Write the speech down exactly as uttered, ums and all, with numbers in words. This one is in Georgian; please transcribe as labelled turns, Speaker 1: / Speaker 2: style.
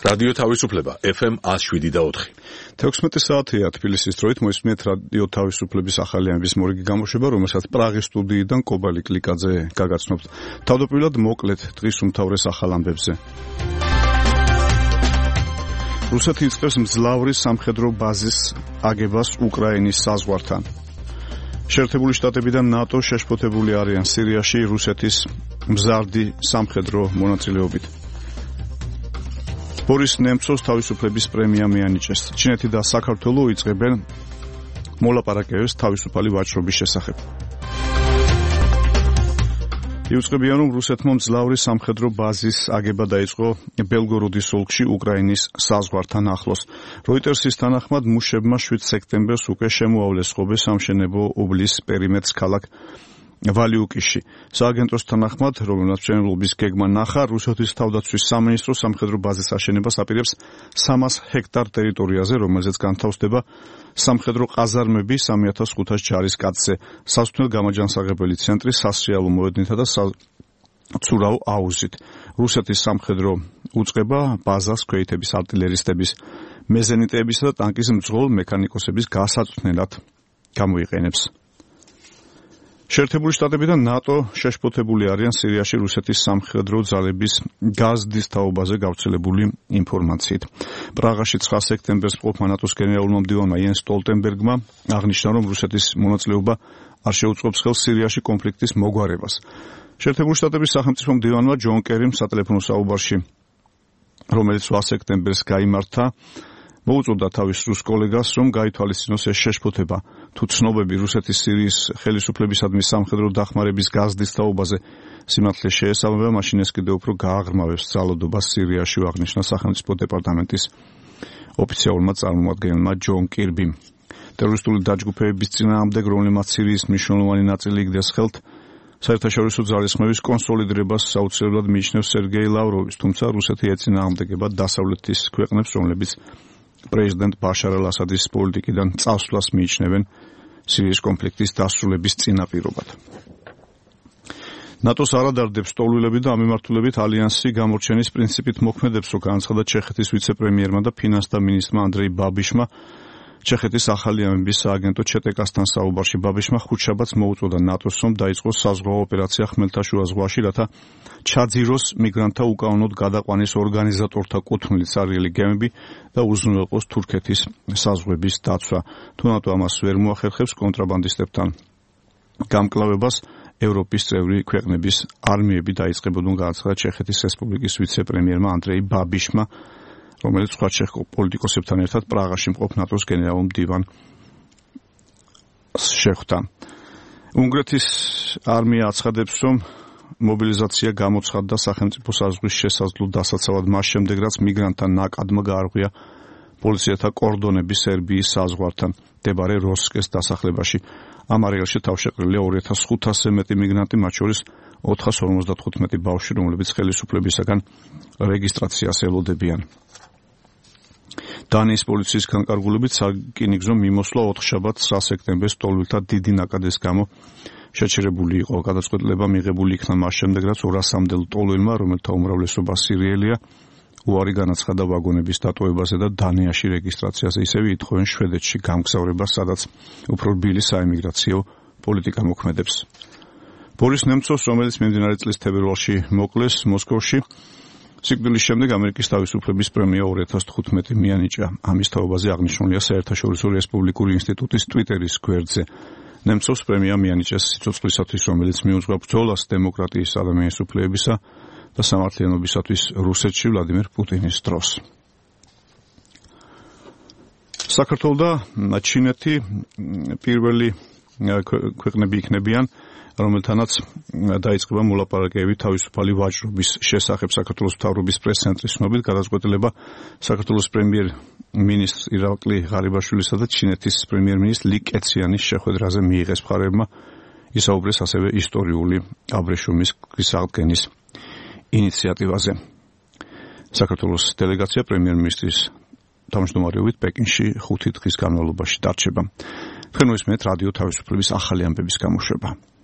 Speaker 1: რადიო თავისუფლება ეფ ემ one oh seven და four.
Speaker 2: თექვსმეტი საათია თბილისის დროით მოისმენთ რადიო თავისუფლების ახალი ამბის მორიგი გამოშვება, რომელსაც პრაღის სტუდიიდან კობალი კლიკაძე გაგაცნობთ. თავდაპირველად მოკლედ დღის უმთავრეს ახალ ამბებზე. რუსეთი იწყებს მძლავრი სამხედრო ბაზის აგებას უკრაინის საზღვართან. შეერთებული შტატები და ნატო შეშფოთებული არიან სირიაში რუსეთის მზარდი სამხედრო მონაწილეობით. ბორის ნემცოვს თავისუფლების პრემია მიანიჭეს. ჩინეთი და საქართველო იწყებენ მოლაპარაკებებს თავისუფალი ვაჭრობის შესახებ. იუწყებიან, რომ რუსეთმა მძლავრი სამხედრო ბაზის აგება დაიწყო ბელგოროდის ოლქში უკრაინის საზღვართან ახლოს. როიტერსის თანახმად მუშებმა შვიდ სექტემბერს უკვე შემოავლეს ხობე სამშენებლო უბლის პერიმეტრს ქალაქ ვალიუკიში. სააგენტოს თანახმად, რომელმაც მშენებლობის გეგმა ნახა, რუსეთის თავდაცვის სამინისტრო სამხედრო ბაზის აშენებას აპირებს სამას ჰექტარ ტერიტორიაზე, რომელზეც განთავსდება სამხედრო ყაზარმები სამი ათას ხუთას ჯარისკაცზე, სასოფლო გამაჯანსაღებელი ცენტრი სასრიალო მოედნითა და ცურავ აუზით. რუსეთის სამხედრო უწყება ბაზას ქვეითების არტილერისტების, მეზენიტეებისა და ტანკის მძღოლ მექანიკოსების გასაწვდნელად გამოიყენებს. შეერთებული შტატები და ნატო შეშფოთებული არიან სირიაში რუსეთის სამხედრო ძალების გაზდის თაობაზე გავრცელებული ინფორმაციით. პრაღაში ცხრა სექტემბერს მყოფმა ნატოს გენერალურმა მდივანმა იენს სტოლტენბერგმა აღნიშნა, რომ რუსეთის მონაწილეობა არ შეუწყობს ხელს სირიაში კონფლიქტის მოგვარებას. შეერთებული შტატების სახელმწიფო მდივანმა ჯონ კერიმ სატელეფონო საუბარში, რომელიც ოთხ სექტემბერს გაიმართა, მოუწოდა თავის რუს კოლეგას, რომ გაითვალისწინოს ეს შეშფოთება. თუ ცნობები რუსეთის სირიის ხელისუფლებისადმი სამხედრო დახმარების გაზდის თაობაზე სიმართლეს შეესაბამება, მაშინ ეს კიდევ უფრო გააღრმავებს ძალადობას სირიაში, აღნიშნა სახელმწიფო დეპარტამენტის ოფიციალურმა წარმომადგენელმა ჯონ კირბიმ. ტერორისტული დაჯგუფების წინააღმდეგ, რომლებმაც სირიის მნიშვნელოვანი ნაწილი იგდეს ხელთ, საერთაშორისო ძალისხმევის კონსოლიდირებას საუცილებლად მიიჩნევს სერგეი ლავროვის, თუმცა რუსეთი ეწინააღმდეგება დასავლეთის ქვეყნებს, რომლებიც პრეზიდენტ ბაშარ ალ-ასადის პოლიტიკიდან წასვლას მიიჩნევენ სირიის კონფლიქტის დასრულების წინაპირობად. ნატოს არადარდებს ტოლვილები და ამ მიმართულებით ალიანსი გამორჩენის პრინციპით მოქმედებს, რომ განაცხადა ჩეხეთის ვიცე-პრემიერმა და ფინანსთა მინისტრმა ანდრეი ბაბიშმა. ჩეხეთის ახალი ამბების სააგენტო ჩეტეკასთან საუბარში ბაბიშმა ხუთშაბათს მოუწოდა ნატოს, რომ დაიწყოს საზღვაო ოპერაცია ხმელთაშუა ზღვაში, რათა ჩაძიროს მიგრანტთა უკანონოდ გადაყვანის ორგანიზატორთა კუთვნილი ცარიელი გემები და უზრუნველყოს თურქეთის საზღვრების დაცვა. თუ ნატო ამას ვერ მოახერხებს კონტრაბანდისტებთან გამკლავებას, ევროპის წევრი ქვეყნების არმიები დაიწყებოდან, განაცხადა ჩეხეთის რესპუბლიკის ვიცე-პრემიერმა ანდრეი ბაბიშმა, რომელიც სხვა ჩეხ პოლიტიკოსებთან ერთად პრაღაში მყოფ ნატოს გენერალურ მდივანს შეხვდა. უნგრეთის არმია აცხადებს, რომ მობილიზაცია გამოცხადდა სახელმწიფო საზღვრის შესაძლო დასაცავად მას შემდეგ, რაც მიგრანტთა ნაკადმა გაარღვია პოლიციათა კორდონები სერბიის საზღვართან მდებარე როსკეს დასახლებაში. ამ არეალში თავშეყრილია ორი ათას ხუთასზე მეტი მიგრანტი, მათ შორის ოთხას ორმოცდათხუთმეტი ბავშვი, რომლებიც ხელისუფლებისაგან რეგისტრაციას ელოდებიან. დანიის პოლიციის განკარგულებით სარკინიგზო მიმოსვლა ოთხშაბათს ცხრა სექტემბერს ტოლვილთა დიდი ნაკადის გამო შეჩერებული იყო. გადაწყვეტილება მიღებული იქნა მას შემდეგ, რაც ორასამდელ ტოლვილმა, რომელთა უმრავლესობა სირიელია, უარი განაცხადა ვაგონების დატოვებაზე და დანიაში რეგისტრაციაზე, ისევე ითხოვენ შვედეთში გამგზავრებას, სადაც უფრო რბილი საიმიგრაციო პოლიტიკა მოქმედებს. ბორის ნემცოვს, რომელიც მიმდინარე წლის თებერვალში მოკლეს მოსკოვში, სიკვდილის შემდეგ ამერიკის თავისუფლების პრემია ორი ათას თხუთმეტი მიანიჭა. ამის თაობაზე აღნიშნულია საერთაშორისო რესპუბლიკური ინსტიტუტის ტვიტერის გვერდზე. ნემცოვს პრემია მიანიჭეს სიცოცხლისათვის, რომელიც მიუძღვა ბრძოლას დემოკრატიის, ადამიანის უფლებებისა და სამართლიანობისათვის რუსეთში ვლადიმერ პუტინის დროს. საქართველო და ჩინეთი პირველი ქვეყნები იქნებიან, რომელთანაც დაიწყება მოლაპარაკებები თავისუფალი ვაჭრობის შესახებ. საქართველოს მთავრობის პრეს-ცენტრის ცნობით, გადაწყვეტილება საქართველოს პრემიერ-მინისტრ ირაკლი ღარიბაშვილისა და ჩინეთის პრემიერ-მინისტრ ალი კეციანის შეხვედრაზე მიიღეს. მხარეებმა ისაუბრეს ასევე ისტორიული აბრეშუმის გზის ინიციატივაზე. საქართველოს დელეგაცია პრემიერ-მინისტრის თავმჯდომარეობით პეკინში ხუთი დღის განმავლობაში დარჩება. თქვენ მოისმენთ რადიო თავისუფლების ახალი ამბების გამოშვება.